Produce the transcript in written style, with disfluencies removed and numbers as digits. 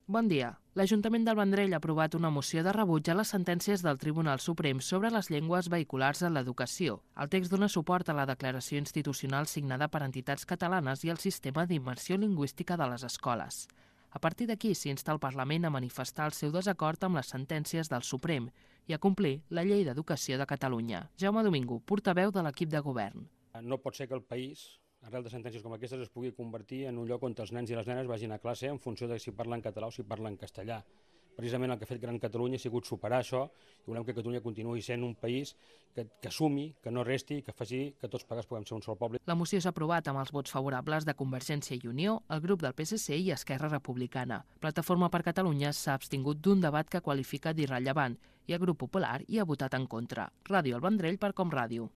Bon dia. L'Ajuntament del Vendrell ha aprovat una moció de rebuig a les sentències del Tribunal Suprem sobre les llengües vehiculars en l'educació. El text dona suport a la declaració institucional signada per entitats catalanes i al sistema d'immersió lingüística de les escoles. A partir d'aquí s'insta el Parlament a manifestar el seu desacord amb les sentències del Suprem i a complir la Llei d'Educació de Catalunya. Jaume Domingo, portaveu de l'equip de govern. No pot ser que el país, arrel de sentències com aquestes, es pugui convertir en un lloc on els nens i les nenes vagin a classe en funció de si parlen català o si parlen castellà. Precisament el que ha fet Gran Catalunya ha sigut superar això i volem que Catalunya continuï sent un país que assumi, que no resti, que faci que tots plegats puguem ser un sol poble. La moció s'ha aprovat amb els vots favorables de Convergència i Unió, el grup del PSC i Esquerra Republicana. Plataforma per Catalunya s'ha abstingut d'un debat que qualifica d'irrellevant i el grup popular hi ha votat en contra. Ràdio El Vendrell per Com Ràdio.